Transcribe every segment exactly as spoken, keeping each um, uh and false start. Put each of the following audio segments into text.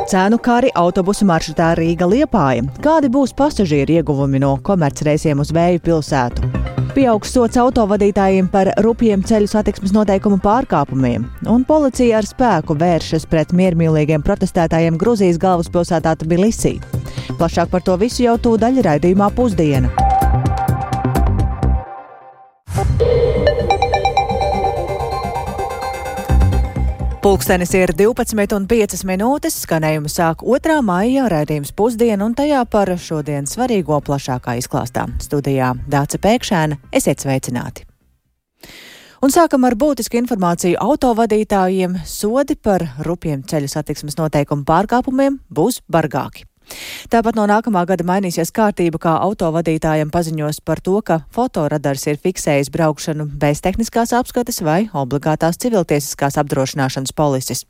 cenu kari autobusu maršrutā Rīga-Liepāja. Kādi būs pasažieru ieguvumi no komercreisiem uz Vēju pilsētu? Pieaugs sots autovadītājiem par rupjiem ceļu satiksmes noteikumu pārkāpumiem, un policija ar spēku vēršas pret miermīlīgiem protestētājiem Gruzijas galvaspilsētā Tbilisī. Plašāk par to visu jau tūdaļ raidījumā Pusdiena. Pulkstenis ir divpadsmit un piecas minūtes, skanējumu sāk otrā maijā raidījums Pusdiena, un tajā par šodien svarīgo plašākā izklāstā. Studijā Dāce Pēkšēna, esiet sveicināti! Un sākam ar būtisku informāciju autovadītājiem. Sodi par rupjiem ceļu satiksmes noteikumu pārkāpumiem būs bargāki. Tāpat no nākamā gada mainīsies kārtība, kā autovadītājiem paziņos par to, ka fotoradars ir fiksējis braukšanu bez tehniskās apskates vai obligātās civiltiesiskās apdrošināšanas polises.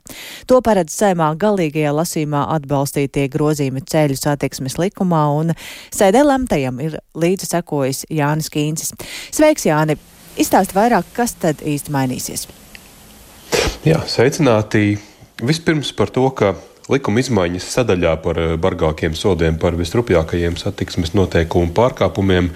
To paredz Saeimā galīgajā lasījumā atbalstītie grozījumi ceļu satiksmes likumā, un sēdē lemtajam ir līdzi sekojis Jānis Kīncis. Sveiks, Jāni! Izstāsti vairāk, kas tad īsti mainīsies? Jā, sveicināti! Vispirms par to, ka likuma izmaiņas sadaļā par bargākiem sodiem par visrupjākajiem satiksmes noteikumu pārkāpumiem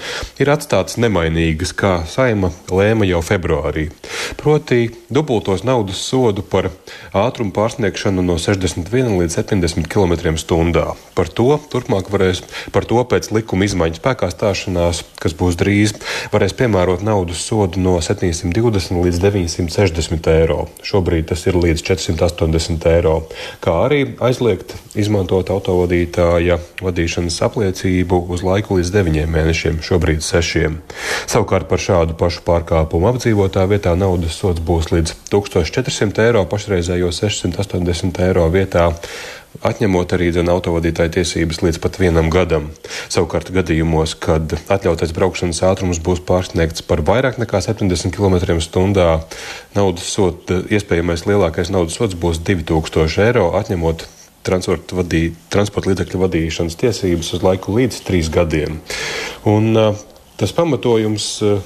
ir atstātas nemainīgas, kā Saeima lēma jau februārī. Proti dubultos naudas sodu par ātrumu pārsniegšanu no sešdesmit viena līdz septiņdesmit kilometriem stundā. Par to turpmāk varēs, par to pēc likuma izmaiņas spēkā stāšanās, kas būs drīz, varēs piemērot naudas sodu no septiņsimt divdesmit līdz deviņsimt sešdesmit eiro. Šobrīd tas ir līdz četrsimt astoņdesmit eiro, kā arī aizliegt izmantot autovadītāja vadīšanas apliecību uz laiku līdz deviņiem mēnešiem, šobrīd sešiem. Savukārt par šādu pašu pārkāpumu apdzīvotā vietā naudas sods būs līdz tūkstoš četrsimt eiro, pašreizējo sešsimt astoņdesmit eiro vietā, atņemot arī dzen autovadītāja tiesības līdz pat vienam gadam. Savukārt gadījumos, kad atļautais braukšanas ātrums būs pārsniegts par vairāk nekā septiņdesmit kilometriem stundā, naudas sods, iespējamais lielākais naudas sods būs divi tūkstoši eiro, atņemot transporta, vadī, transporta līdzekļu vadīšanas tiesības uz laiku līdz trīs gadiem. Un uh, tas pamatojums uh,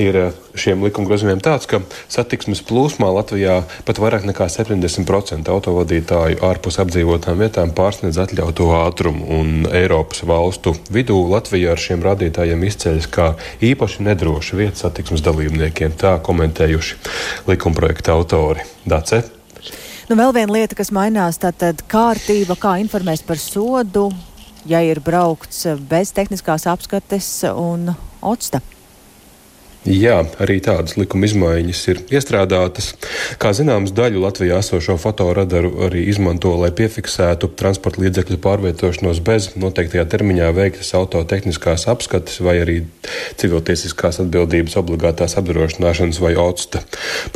ir šiem likuma grozījumiem tāds, ka satiksmes plūsmā Latvijā pat vairāk nekā septiņdesmit procenti autovadītāju ārpus apdzīvotām vietām pārsniedz atļauto ātrumu, un Eiropas valstu vidū Latvija ar šiem rādītājiem izceļas kā īpaši nedroša vieta satiksmes dalībniekiem, tā komentējuši likumprojekta autori. Dace? Nu, vēl viena lieta, kas mainās, tātad kārtība, kā informēs par sodu, ja ir braukts bez tehniskās apskates un octa. Jā, arī tādas likuma izmaiņas ir iestrādātas. Kā zināms, daļu Latvijā esošo fotoradaru arī izmanto, lai piefiksētu transporta līdzekļu pārvietošanos bez noteiktajā termiņā veiktas autotehniskās apskates vai arī civiltiesiskās atbildības obligātās apdrošināšanas vai octa.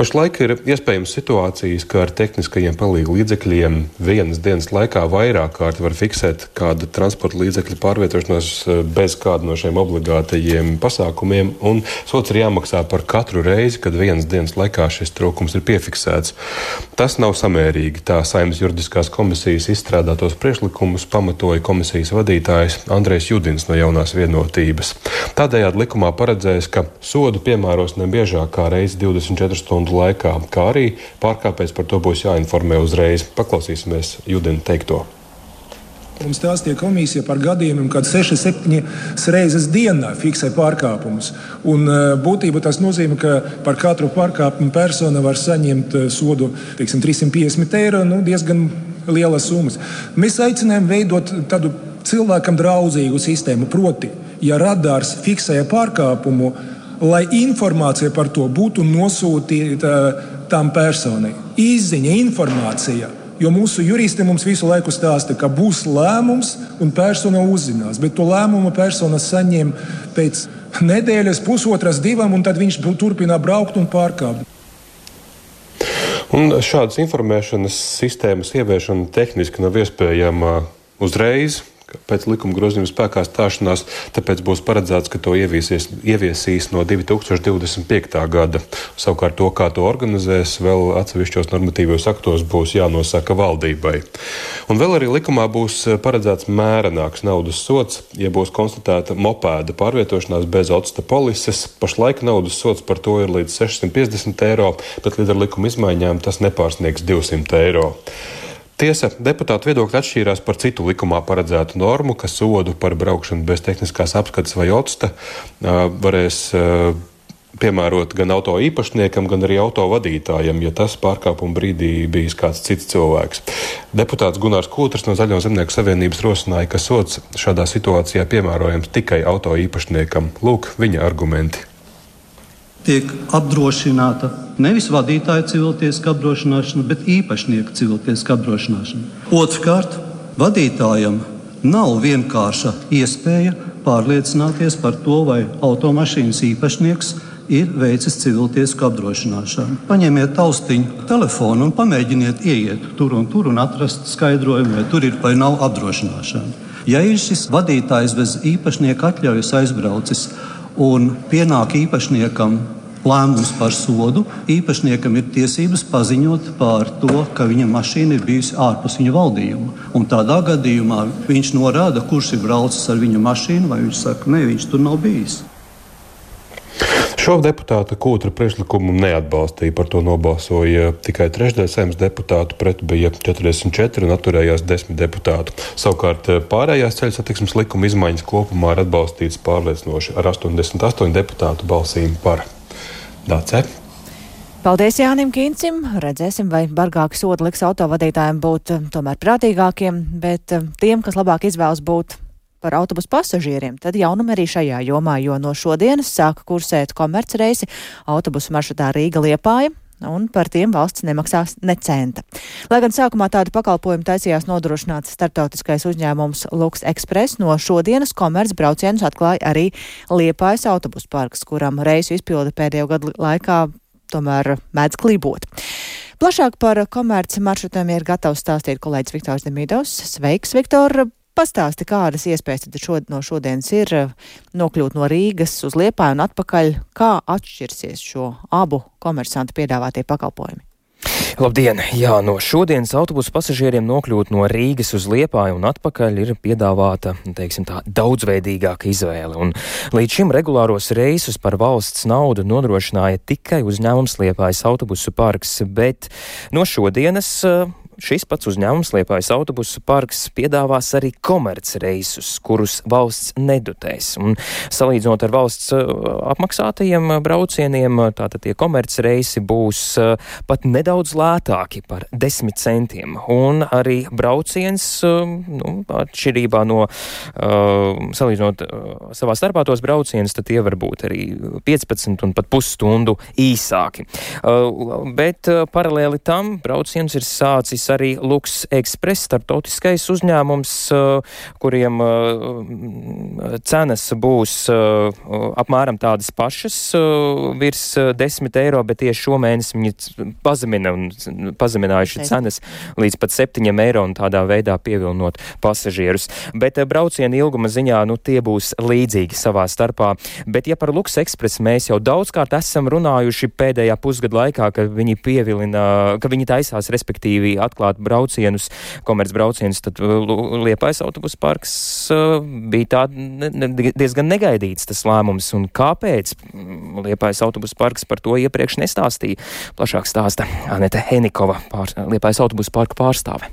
Pašlaik ir iespējams situācijas, ka ar tehniskajiem palīgu līdzekļiem vienas dienas laikā vairāk kārt var fiksēt kādu transporta līdzekļu pārvietošanos bez kādu no šiem obligātajiem pasākumiem, un sots ir jāmaksā par katru reizi, kad vienas dienas laikā šis trūkums ir piefiksēts. Tas nav samērīgi, tā Saeimas juridiskās komisijas izstrādātos priekšlikumus pamatoja komisijas vadītājs Andrejs Judins no Jaunās vienotības. Tādējādi likumā paredzēs, ka sodu piemēros nebiežāk kā reizi divdesmit četru stundu laikā, kā arī pārkāpējs par to būs jāinformē uzreiz. Paklausīsimies Judina teikto. Mums stāstīja komisija par gadījumiem, kad sešas septiņas reizes dienā fiksē pārkāpumus. Un būtībā tas nozīmē, ka par katru pārkāpumu persona var saņemt sodu, teiksim, trīssimt piecdesmit eiro, nu, diezgan lielas summas. Mēs aicinājām veidot tādu cilvēkam draudzīgu sistēmu, proti, ja radars fiksēja pārkāpumu, lai informācija par to būtu nosūtīta tam personai. Izziņa, informācija. Jo mūsu juristi mums visu laiku stāsta, ka būs lēmums un persona uzzinās, bet to lēmumu persona saņem pēc nedēļas, pusotras, divām, un tad viņš turpina braukt un pārkāpt. Un šādas informēšanas sistēmas ieviešana tehniski nav iespējama uzreiz. Pēc likuma grozījuma spēkā stāšanās, tāpēc būs paredzēts, ka to ieviesies, ieviesīs no divi tūkstoši divdesmit piektā gada. Savukārt to, kā to organizēs, vēl atsevišķos normatīvos aktos būs jānosaka valdībai. Un vēl arī likumā būs paredzēts mērenāks naudas sods, ja būs konstatēta mopēda pārvietošanās bez octa polises. Pašlaik naudas sods par to ir līdz sešsimt piecdesmit eiro, bet līdz ar likuma izmaiņām tas nepārsniegs divsimt eiro. Tiesa, deputātu viedokļi atšķīrās par citu likumā paredzētu normu, ka sodu par braukšanu bez tehniskās apskates vai otsta varēs piemērot gan auto īpašniekam, gan arī auto vadītājam, ja tas pārkāpuma brīdī bijis kāds cits cilvēks. Deputāts Gunārs Kūtrs no Zaļo zemnieku savienības rosināja, ka sods šādā situācijā piemērojams tikai auto īpašniekam. Lūk, viņa argumenti. Tiek apdrošināta nevis vadītāja civiltiesiska apdrošināšana, bet īpašnieka civiltiesiska apdrošināšana. Otrkārt, vadītājam nav vienkārša iespēja pārliecināties par to, vai automašīnas īpašnieks ir veicis civiltiesisku apdrošināšanu. Paņemiet taustiņu telefonu un pamēģiniet ieiet tur un tur un atrast skaidrojumu, vai tur ir vai nav apdrošināšana. Ja ir šis vadītājs bez īpašnieka atļaujas aizbraucis un pienāk īpašniekam lēmums par sodu, īpašniekam ir tiesības paziņot par to, ka viņa mašīna ir bijusi ārpus viņa valdījuma. Un tādā gadījumā viņš norāda, kurš ir braucis ar viņa mašīnu, vai viņš saka, ne, viņš tur nav bijis. Šo deputāta Kūtra priekšlikumu neatbalstīja, par to nobalsoja tikai trešdaļa Saeimas deputātu, pret bija četrdesmit četri un atturējās desmit deputātu. Savukārt pārējās ceļu satiksmes likuma izmaiņas kopumā ir atbalstītas pārliecinoši ar astoņdesmit astoņu deputātu balsīm par. Dāce. Paldies Jānim Kīncim. Redzēsim, vai bargāki sodi liks autovadītājiem būt tomēr prātīgākiem, bet tiem, kas labāk izvēlas būt par autobusu pasažieriem, tad jaunumi arī šajā jomā, jo no šodienas sāka kursēt komercreisi autobusu maršrutā Rīga-Liepāja, un par tiem valsts nemaksās ne centa. Lai gan sākumā tādu pakalpojumu taisījās nodrošināt starptautiskais uzņēmums Lux Express, no šodienas komerc braucienus atklāja arī Liepājas autobusu parks, kuram reisu izpilde pēdējo gadu laikā tomēr mēdz klībot. Plašāk par komerci maršrutiem ir gatavs stāstīt kolēģis Viktors Demidovs. Sveiks, Viktor! Pastāsti, kādas iespējas tad šod, no šodienas ir nokļūt no Rīgas uz Liepāju un atpakaļ, kā atšķirsies šo abu komersantu piedāvātie pakalpojumi? Labdien! Jā, no šodienas autobusu pasažieriem nokļūt no Rīgas uz Liepāju un atpakaļ ir piedāvāta, teiksim tā, daudzveidīgāka izvēle. Un līdz šim regulāros reisus par valsts naudu nodrošināja tikai uzņēmums Liepājas autobusu parks, bet no šodienas šis pats uzņēmums Liepājas autobusu parks piedāvās arī komercreisus, kurus valsts nedotēs. Un salīdzinot ar valsts apmaksātajiem braucieniem, tātad tie komercreisi būs pat nedaudz lētāki par desmit centiem. Un arī brauciens, nu, atšķirībā no salīdzinot savā starpā tos braucienus, tad tie var būt arī piecpadsmit un pat pusstundu īsāki. Bet paralēli tam brauciens ir sācis arī Lux Express, starptautiskais uzņēmums, kuriem cenas būs apmēram tādas pašas, virs desmit eiro, bet tieši šomēnes viņi pazemina un pazeminājuši cenas līdz pat septiņiem eiro un tādā veidā pievilnot pasažierus. Bet brauciena ilguma ziņā, nu, tie būs līdzīgi savā starpā. Bet ja par Lux Express mēs jau daudzkārt esam runājuši pēdējā pusgada laikā, ka viņi pievilina, ka viņi taisās respektīvi atklāt braucienus, komercbraucienus, tad Liepājas autobusu parks bija tā diezgan negaidīts tas lēmums. Un kāpēc Liepājas autobusu parks par to iepriekš nestāstīja? Plašāk stāsta Anete Henikova, pār, Liepājas autobusu parka pārstāve.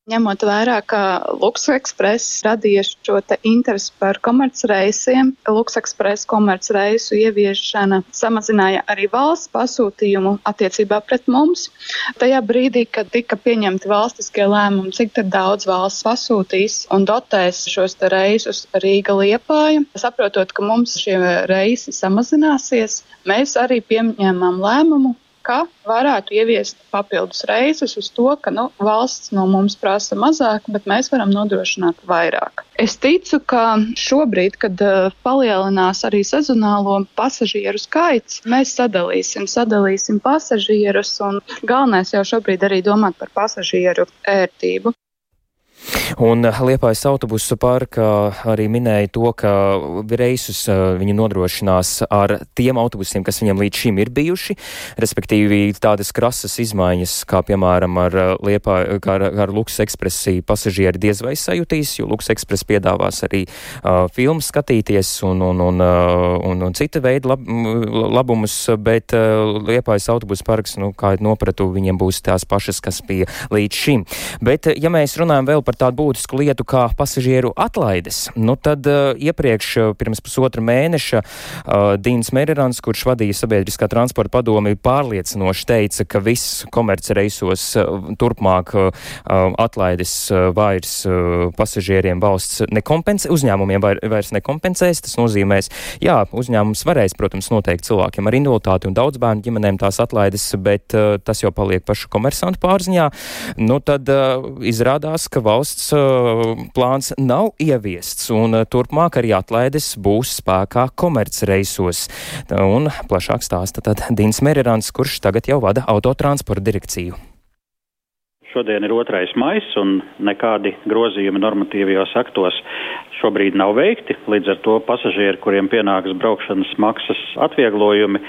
Ņemot vērā, ka Lux Express radīja šo te interesi par komercreisiem, Lux Express komercreisu ieviešana samazināja arī valsts pasūtījumu attiecībā pret mums. Tajā brīdī, kad tika pieņemti valstiskie lēmumi, cik tad daudz valsts pasūtīs un dotēs šos te reisus Rīga-Liepāja, saprotot, ka mums šie reisi samazināsies, mēs arī pieņēmām lēmumu, ka varētu ieviest papildus reisus uz to, ka nu, valsts no mums prasa mazāk, bet mēs varam nodrošināt vairāk. Es ticu, ka šobrīd, kad uh, palielinās arī sezonālo pasažieru skaits, mēs sadalīsim, sadalīsim pasažierus un galvenais jau šobrīd arī domāt par pasažieru ērtību. Un Liepājas autobusu parkā arī minēja to, ka reisus viņi nodrošinās ar tiem autobusiem, kas viņiem līdz šim ir bijuši, respektīvi tādas krasas izmaiņas, kā piemēram ar Liepāju, kā ar, ar Luks Ekspresi pasažieri diez vai sajutīs, jo Luks Ekspres piedāvās arī uh, filmas skatīties un, un, un, uh, un, un cita veida lab, labumus, bet uh, Liepājas autobusu parks, nu, kā nopratu, viņiem būs tās pašas, kas bija līdz šim. Bet, ja mēs runājam vēl par tādu būtisku lietu kā pasažieru atlaides, nu tad uh, iepriekš uh, pirms pusotra mēneša uh, Dīns Merirans, kurš vadīja sabiedriskā transporta padomi, pārliecinoši teica, ka viss komercreisos uh, turpmāk uh, atlaides uh, vairs uh, pasažieriem valsts nekompensē, uzņēmumiem vair, vairs nekompensēs. Tas nozīmēs, jā, uzņēmums varēs, protams, noteikt cilvēkiem ar invaliditāti un daudz bērnu ģimenēm tās atlaides, bet uh, tas jau paliek pašu komersantu pārziņā. Nu tad uh, izrādās, ka valsts plāns nav ieviests, un turpmāk arī atlaides būs spēkā komercreisos. Un plašāk stāsta tad Dīns Merirans, kurš tagad jau vada autotransporta direkciju. Šodien ir otrais maijs, un nekādi grozījumi normatīvajos aktos šobrīd nav veikti. Līdz ar to pasažieri, kuriem pienāks braukšanas maksas atvieglojumi,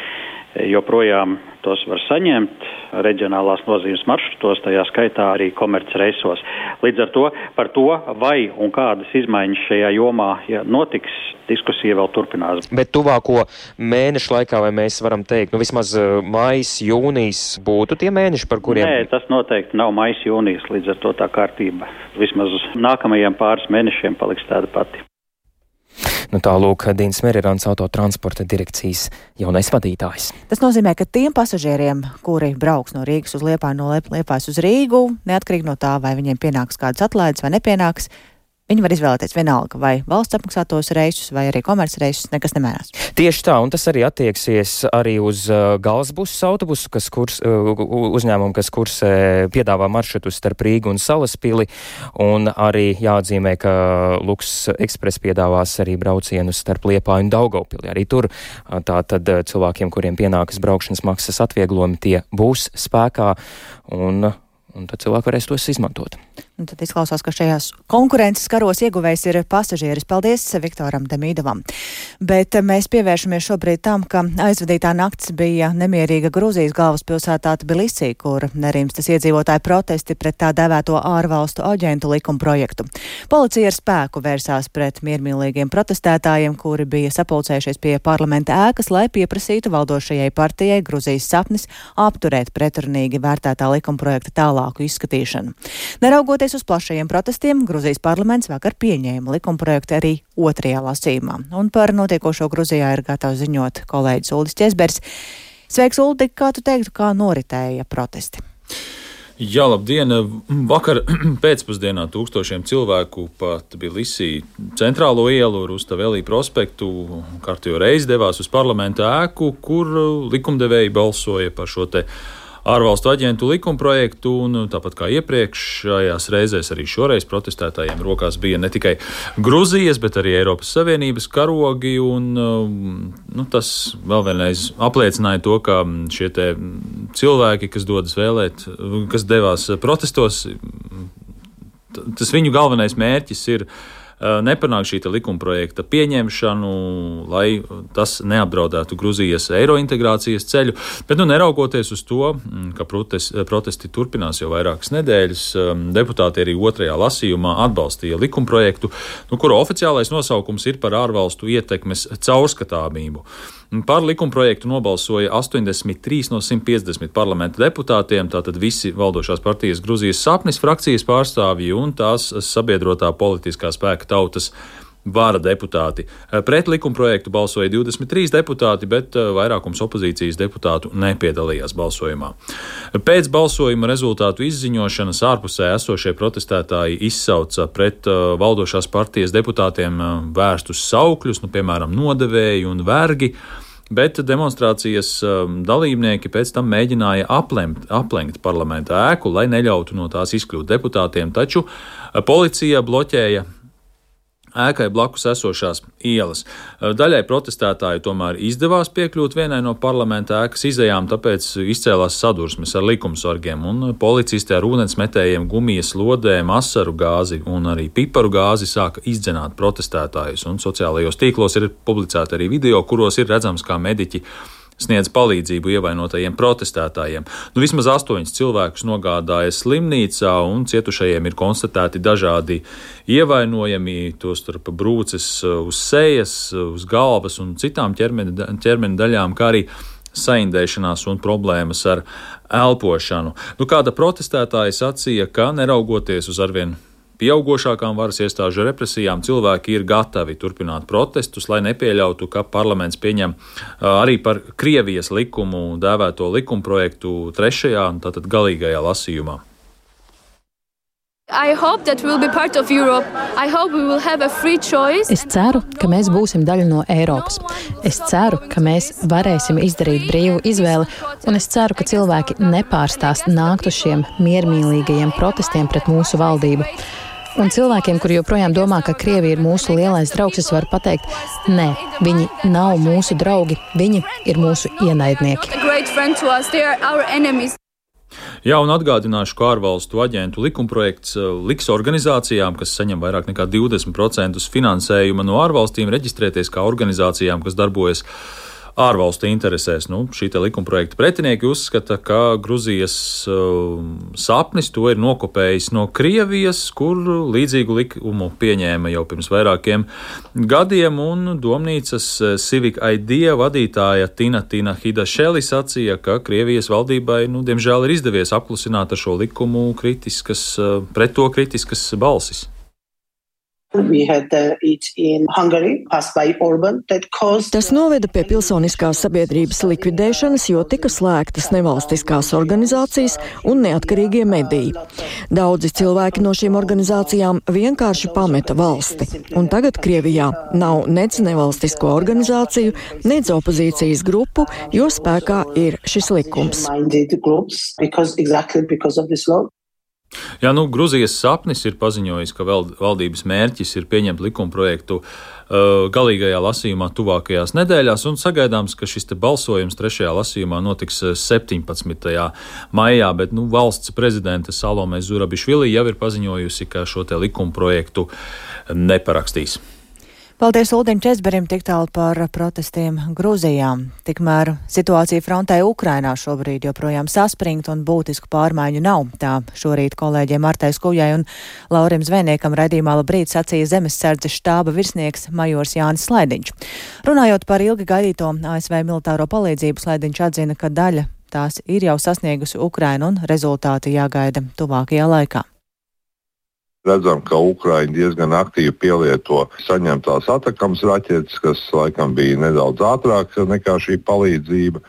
joprojām tos var saņemt reģionālās nozīmes maršrutos, tajā skaitā arī komercreisos. Līdz ar to par to, vai un kādas izmaiņas šajā jomā ja notiks, diskusija vēl turpinās. Bet tuvāko mēnešu laikā, vai mēs varam teikt, nu vismaz maijs, jūnijas būtu tie mēneši, par kuriem... Nē, tas noteikti nav maijs, jūnijas, līdz ar to tā kārtība. Vismaz nākamajiem pāris mēnešiem paliks tāda pati. Nu tā lūk, Dīns Merirans, autotransporta direkcijas jaunais vadītājs. Tas nozīmē, ka tiem pasažieriem, kuri brauks no Rīgas uz Liepāju, no Liepājas uz Rīgu, neatkarīgi no tā, vai viņiem pienāks kādas atlaides vai nepienāks, viņi var izvēlēties vienalga, vai valsts apmaksātos reisus, vai arī komercreisus, nekas nemainās. Tieši tā, un tas arī attieksies arī uz uh, galsbusu autobusu, kas kurs, uh, uzņēmumu, kas kursē piedāvā maršrutus starp Rīgu un Salaspili, un arī jāatzīmē, ka Luks Ekspres piedāvās arī braucienus starp Liepāju un Daugavpili. Arī tur uh, tā tad uh, cilvēkiem, kuriem pienākas braukšanas maksas atvieglojumi, tie būs spēkā, un, un tad cilvēki varēs tos izmantot. Un tad izklausās, ka šajās konkurences karos ieguvējs ir pasažieris. Paldies Viktoram Demīdovam. Bet mēs pievēršamies šobrīd tam, ka aizvadītā nakts bija nemierīga Gruzijas galvaspilsētā Tbilisī, kur nerimstas iedzīvotāju protesti pret tā dēvēto ārvalstu aģentu likuma projektu. Policija ar spēku vērsās pret miermīlīgiem protestētājiem, kuri bija sapulcējušies pie parlamenta ēkas, lai pieprasītu valdošajai partijai Gruzijas sapnis apturēt pretrunīgi vērtētā likuma projekta tālāku izskatīšanu. Neraugoties uz plašajiem protestiem, Gruzijas parlaments vakar pieņēma likumprojektu arī otrajā lasījumā. Un par notiekošo Gruzijā ir gatavs ziņot kolēģis Uldis Ķesbergs. Sveiks, Uldi, kā tu teiktu, kā noritēja protesti? Jā, labdien! Vakar pēcpusdienā tūkstošiem cilvēku pa Tbilisī centrālo ielu, Rustavelī prospektu, kārtējo reizi devās uz parlamenta ēku, kur likumdevēji balsoja par šo te ārvalstu aģentu likumprojektu, un tāpat kā iepriekšējās reizēs, arī šoreiz protestētājiem rokās bija ne tikai Gruzijas, bet arī Eiropas Savienības karogi, un nu, tas vēl vienreiz apliecināja to, ka šie te cilvēki, kas dodas vēlēt, kas devās protestos, tas viņu galvenais mērķis ir nepanāk šī likumprojekta pieņemšanu, lai tas neapdraudētu Gruzijas eirointegrācijas ceļu. Bet, nu, neraugoties uz to, ka protesti, protesti turpinās jau vairākas nedēļas, deputāti arī otrajā lasījumā atbalstīja likumprojektu, nu, kura oficiālais nosaukums ir par ārvalstu ietekmes caurskatāmību. Par likumprojektu nobalsoja astoņdesmit trīs no simt piecdesmit parlamenta deputātiem, tātad visi valdošās partijas Gruzijas sapnis frakcijas pārstāvji un tās sabiedrotā politiskā spēka Tautas vara deputāti. Pret likumprojektu balsoja divdesmit trīs deputāti, bet vairākums opozīcijas deputātu nepiedalījās balsojumā. Pēc balsojuma rezultātu izziņošanas ārpusē esošie protestētāji izsauca pret valdošās partijas deputātiem vērstus saukļus, nu, piemēram, nodevēji un vergi, bet demonstrācijas dalībnieki pēc tam mēģināja aplemt, aplenkt parlamenta ēku, lai neļautu no tās izkļūt deputātiem, taču policija bloķēja ēkai blakus esošās ielas. Daļai protestētāju tomēr izdevās piekļūt vienai no parlamenta ēkas izejām, tāpēc izcēlās sadursmes ar likumsargiem, un policisti ar ūdensmetējiem, gumijas lodēm, asaru gāzi un arī piparu gāzi sāka izdzenāt protestētājus, un sociālajos tīklos ir publicēti arī video, kuros ir redzams, kā mediķi sniedz palīdzību ievainotajiem protestētājiem. Nu, vismaz astoņus cilvēkus nogādāja slimnīcā, un cietušajiem ir konstatēti dažādi ievainojumi, tostarp brūces uz sejas, uz galvas un citām ķermeni, ķermeni daļām, kā arī saindēšanās un problēmas ar elpošanu. Nu, kāda protestētāja sacīja, ka neraugoties uz arvien pieaugošākām varas iestāžu represijām, cilvēki ir gatavi turpināt protestus, lai nepieļautu, ka parlaments pieņem arī par Krievijas likumu dēvēto likumprojektu trešajā, tātad galīgajā lasījumā. Es ceru, ka mēs būsim daļa no Eiropas. Es ceru, ka mēs varēsim izdarīt brīvu izvēli, un es ceru, ka cilvēki nepārstās nākt uz šiem miermīlīgajiem protestiem pret mūsu valdību. Un cilvēkiem, kuri joprojām domā, ka Krievija ir mūsu lielais draugs, es varu pateikt, nē, viņi nav mūsu draugi, viņi ir mūsu ienaidnieki. Jā, un atgādināšu, ka ārvalstu aģentu likumprojekts liks organizācijām, kas saņem vairāk nekā divdesmit procentus finansējuma no ārvalstīm, reģistrēties kā organizācijām, kas darbojas ārvalstu interesēs. Nu, šī te likumprojekta pretinieki uzskata, ka Gruzijas uh, sapnis to ir nokopējis no Krievijas, kur līdzīgu likumu pieņēma jau pirms vairākiem gadiem, un domnīcas Civic Idea vadītāja Tina Tina Hidašeli sacīja, ka Krievijas valdībai, nu, diemžēl ir izdevies apklusināt ar šo likumu kritiskas, uh, pret to kritiskas balsis. Tas noveda pie pilsoniskās sabiedrības likvidēšanas, jo tika slēgtas nevalstiskās organizācijas un neatkarīgie mediji. Daudzi cilvēki no šīm organizācijām vienkārši pameta valsti, un tagad Krievijā nav nec nevalstisko organizāciju, nec opozīcijas grupu, jo spēkā ir šis likums. Jā, nu, Gruzijas sapnis ir paziņojis, ka valdības mērķis ir pieņemt likumprojektu uh, galīgajā lasījumā tuvākajās nedēļās, un sagaidāms, ka šis te balsojums trešajā lasījumā notiks septiņpadsmitajā maijā, bet nu, valsts prezidente Salome Zurabišvili jau ir paziņojusi, ka šo te likumprojektu neparakstīs. Paldies Uldim Česberim tik tālu par protestiem Gruzijā. Tikmēr situācija frontē Ukrainā šobrīd joprojām saspringta un būtisku pārmaiņu nav. Tā šorīt kolēģiem Martai Skujai un Laurim Zvejniekam raidījumā Labrīt sacīja Zemesardzes štāba virsnieks majors Jānis Slaidiņš. Runājot par ilgi gaidīto A S V militāro palīdzību, Slaidiņš atzina, ka daļa tās ir jau sasniegusi Ukrainu un rezultāti jāgaida tuvākajā laikā. Redzam, ka Ukraiņi diezgan aktīvi pielieto saņemtās Atakams raķetes, kas laikam bija nedaudz ātrāk nekā šī palīdzība.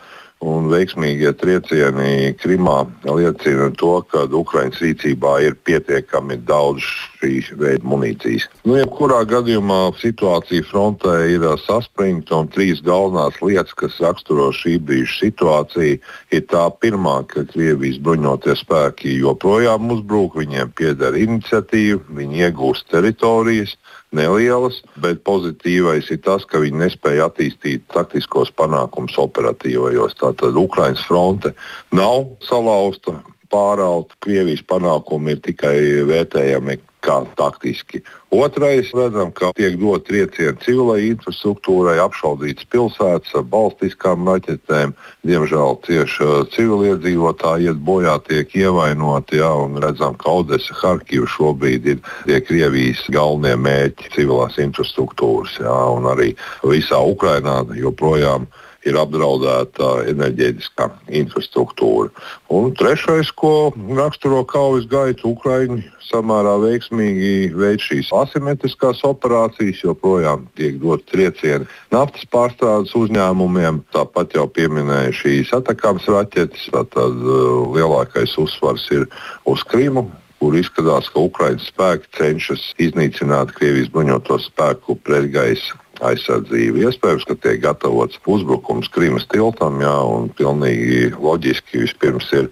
Un veiksmīgie triecieni Krimā liecina to, ka Ukraiņas rīcībā ir pietiekami daudz šī veida munīcijas. Nu, jebkurā gadījumā situācija frontē ir saspringta, un trīs galvenās lietas, kas raksturo šī brīža situāciju, ir tā pirmā, ka Krievijas bruņotie spēki joprojām uzbrūk, viņiem pieder iniciatīva, viņi iegūst teritorijas, nelielas, bet pozitīvais ir tas, ka viņi nespēja attīstīt taktiskos panākumus operatīvajos. Tātad Ukrainas fronte nav salauzta, pārauta, Krievijas panākumi ir tikai vērtējami kā taktiski. Otrais, redzam, ka tiek dot triecieni civilai infrastruktūrai, apšaudītas pilsētas ar balstiskām raķetēm. Diemžēl cieši civiliedzīvotāji iet bojā, tiek ievainoti, jā, un redzam, ka Odesa, Harkiva šobrīd ir tie Krievijas galvenie mērķi civilās infrastruktūras, jā, un arī visā Ukrainā joprojām ir apdraudēta enerģētiskā infrastruktūra. Un trešais, ko raksturo kaujas gaitu, Ukraiņi samērā veiksmīgi veic šīs asimetriskās operācijas, joprojām tiek dot triecieni naftas pārstrādes uzņēmumiem. Tāpat jau pieminēja šīs Atakams raķetes, tad uh, lielākais uzsvars ir uz Krimu, kur izskatās, ka Ukraiņas spēki cenšas iznīcināt Krievijas bruņoto spēku pretgaisa aizsardzību. Iespējams, ka tiek gatavots uzbrukums Krimas tiltam, jā, un pilnīgi loģiski vispirms ir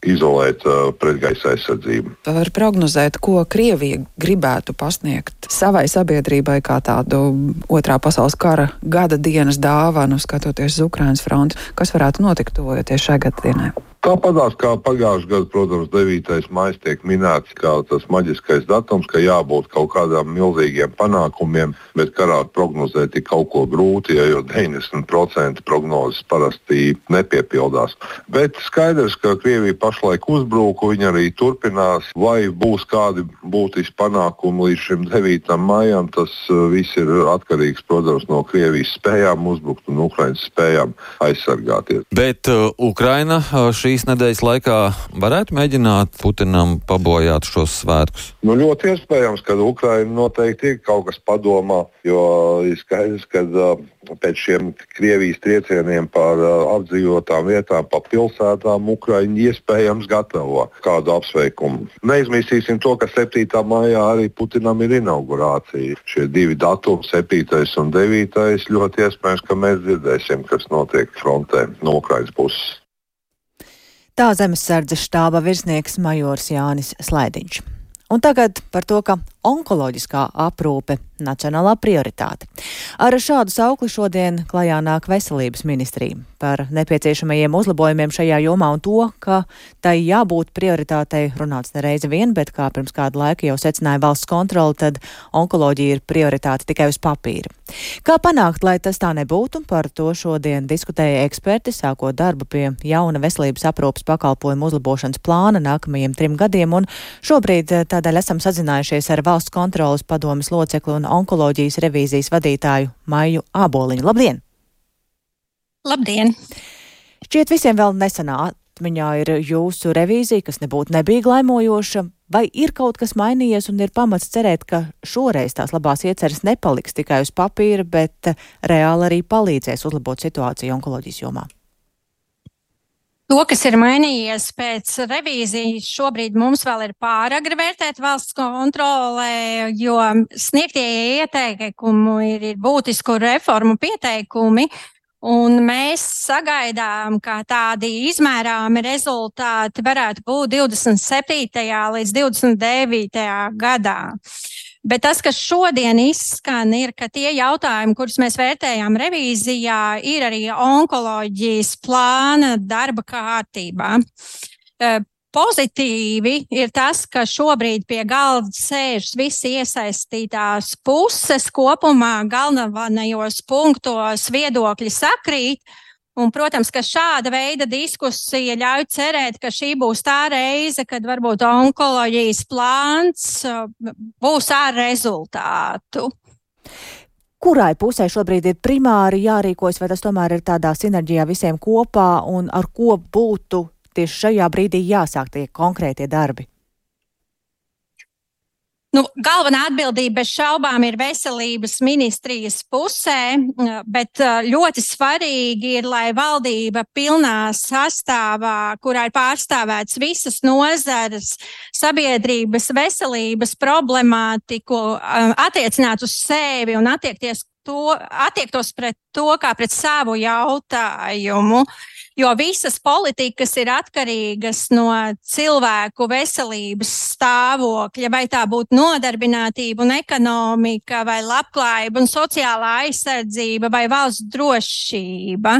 izolēt uh, pretgaisa aizsardzību. Var prognozēt, ko Krievija gribētu pasniegt savai sabiedrībai kā tādu otrā pasaules kara gada dienas dāvanu, skatoties uz Ukrainas fronti. Kas varētu notikt tuvojoties šai gada dienai? Tāpatās kā pagājušajā gadā, protams, devītais maijs tiek minēts kā tas maģiskais datums, ka jābūt kaut kādām milzīgiem panākumiem, bet karā prognozēt ir kaut ko grūti, jo deviņdesmit procenti prognozes parasti nepiepildās. Bet skaidrs, ka Krievija pašlaik uzbruka, viņa arī turpinās, vai būs kādi būtiski panākumi līdz šim devītam maijam, tas viss ir atkarīgs, protams, no Krievijas spējām uzbrukt un Ukrainas spējām aizsargāties. Bet uh, Ukraina uh, šī Šīs nedēļas laikā varētu mēģināt Putinam pabojāt šos svētkus? Nu, ļoti iespējams, ka Ukraina noteikti ir kaut kas padomā, jo ir skaidrs, ka uh, pēc šiem Krievijas triecieniem par uh, apdzīvotām vietām, pa pilsētām, Ukraina iespējams gatavo kādu apsveikumu. Neizmirsīsim to, ka septītā maijā arī Putinam ir inaugurācija. Šie divi datumi, septītais un devītais, ļoti iespējams, ka mēs dzirdēsim, kas notiek frontē no Ukrainas puses. Tā Zemesardzes štāba virsnieks majors Jānis Slaidiņš. Un tagad par to, ka onkoloģiskā aprūpe nacionālā prioritāte. Ar šādu saukli šodien klajā nāk Veselības ministrija par nepieciešamajiem uzlabojumiem šajā jomā un to, ka tai jābūt prioritātei runāts nereizi vien, bet kā pirms kādu laiku jau secināja valsts kontrole, tad onkoloģija ir prioritāte tikai uz papīra. Kā panākt, lai tas tā nebūtu, par to šodien diskutēja eksperti, sākot darbu pie jauna veselības aprūpes pakalpojumu uzlabošanas plāna nākamajiem trim gadiem, un šobrīd tādēļ esam sazinājušies ar valsts kontroles padomes locekli un onkoloģijas revīzijas vadītāju Maiju Āboliņu. Labdien! Labdien! Šķiet visiem vēl nesenā atmiņā ir jūsu revīzija, kas nebūtu nebija glaimojoša. Vai ir kaut kas mainījies un ir pamats cerēt, ka šoreiz tās labās ieceres nepaliks tikai uz papīra, bet reāli arī palīdzēs uzlabot situāciju onkoloģijas jomā? To, kas ir mainījies pēc revīzijas, šobrīd mums vēl ir pāragri vērtēt valsts kontrolē, jo sniegtie ieteikumi ir, ir būtisku reformu pieteikumi, un mēs sagaidām, ka tādi izmērāmi rezultāti varētu būt divdesmit septītajā līdz divdesmit devītajā gadā. Bet tas, kas šodien izskan, ir, ka tie jautājumi, kurus mēs vērtējām revīzijā, ir arī onkoloģijas plāna darba kārtībā. Pozitīvi ir tas, ka šobrīd pie galda sēžas visi iesaistītās puses kopumā galvenajos punktos viedokļi sakrīt. Un, protams, ka šāda veida diskusija ļauj cerēt, ka šī būs tā reize, kad varbūt onkoloģijas plāns būs ar rezultātu. Kurai pusē šobrīd ir primāri jārīkojas, vai tas tomēr ir tādā sinerģijā visiem kopā, un ar ko būtu tieši šajā brīdī jāsāk tie konkrētie darbi? Nu, galvenā atbildība bez šaubām ir veselības ministrijas pusē, bet ļoti svarīgi ir, lai valdība pilnā sastāvā, kurā ir pārstāvēts visas nozares, sabiedrības veselības problemātiku, attiecināt uz sevi un attiekties to, attiektos pret to kā pret savu jautājumu. Jo visas politikas ir atkarīgas no cilvēku veselības stāvokļa, vai tā būtu nodarbinātība un ekonomika, vai labklājība un sociālā aizsardzība, vai valsts drošība.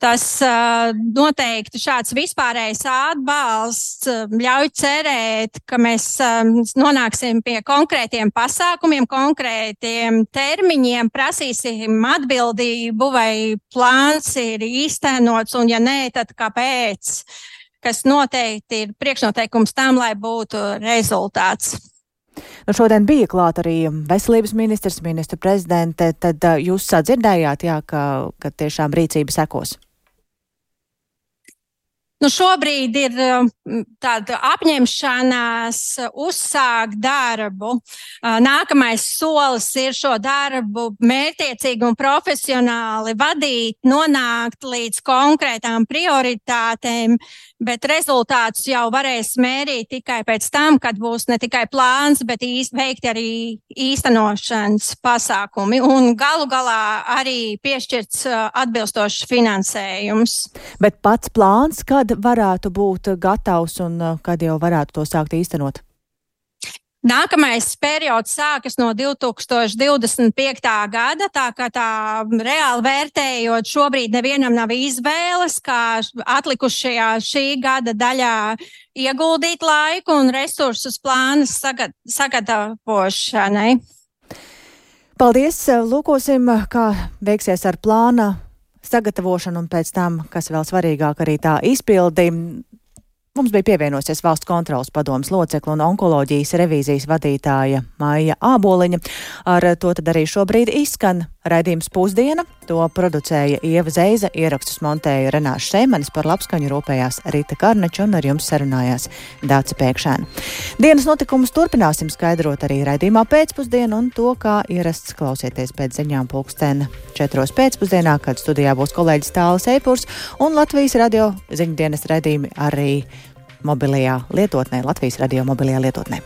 Tas uh, noteikti šāds vispārējais atbalsts ļauj cerēt, ka mēs um, nonāksim pie konkrētiem pasākumiem, konkrētiem termiņiem, prasīsim atbildību, vai plāns ir īstenots, un ja nē, tad kāpēc, kas noteikti ir priekšnoteikums tam, lai būtu rezultāts. Nu, šodien bija klāt arī veselības ministrs, ministru prezidente, tad uh, jūs sadzirdējāt, jā, ka, ka tiešām rīcība sekos? Nu, šobrīd ir tāda apņemšanās uzsākt darbu. Nākamais solis ir šo darbu mērķiecīgi un profesionāli vadīt, nonākt līdz konkrētām prioritātēm, bet rezultātus jau varēs mērīt tikai pēc tam, kad būs ne tikai plāns, bet īst, veikti arī īstenošanas pasākumi un galu galā arī piešķirts atbilstošs finansējums. Bet pats plāns, kad varētu būt gatavs un kad jau varētu to sākt īstenot? Nākamais periods sākas no divi tūkstoši divdesmit piektā gada, tā kā tā reāli vērtējot, šobrīd nevienam nav izvēles, kā atlikušajā šī gada daļā ieguldīt laiku un resursus plānas sagad, sagatavošanai. Paldies! Lūkosim, kā veiksies ar plāna sagatavošanu un pēc tam, kas vēl svarīgāk, arī tā izpildi. Mums bija pievienosies Valsts kontrolas padomes locekla un onkoloģijas revīzijas vadītāja Maija Āboliņa. Ar to tad arī šobrīd izskan raidījums Pusdiena. To producēja Ieva Zeiza, ierakstus montēja Renāša Seimanis, par labskaņu rūpējās Rita Karneča un ar jums sarunājās Dāca Pēkšēna. Dienas notikumus turpināsim skaidrot arī raidījumā Pēcpusdienu un to, kā ierasts klausieties pēc ziņām pulksten četros pēcpusdienā, kad studijā būs kolēģis Tālis Eipurs un Latvijas radio ziņu dienas raidījumi arī mobilajā lietotnē, Latvijas radio mobilajā lietotnē.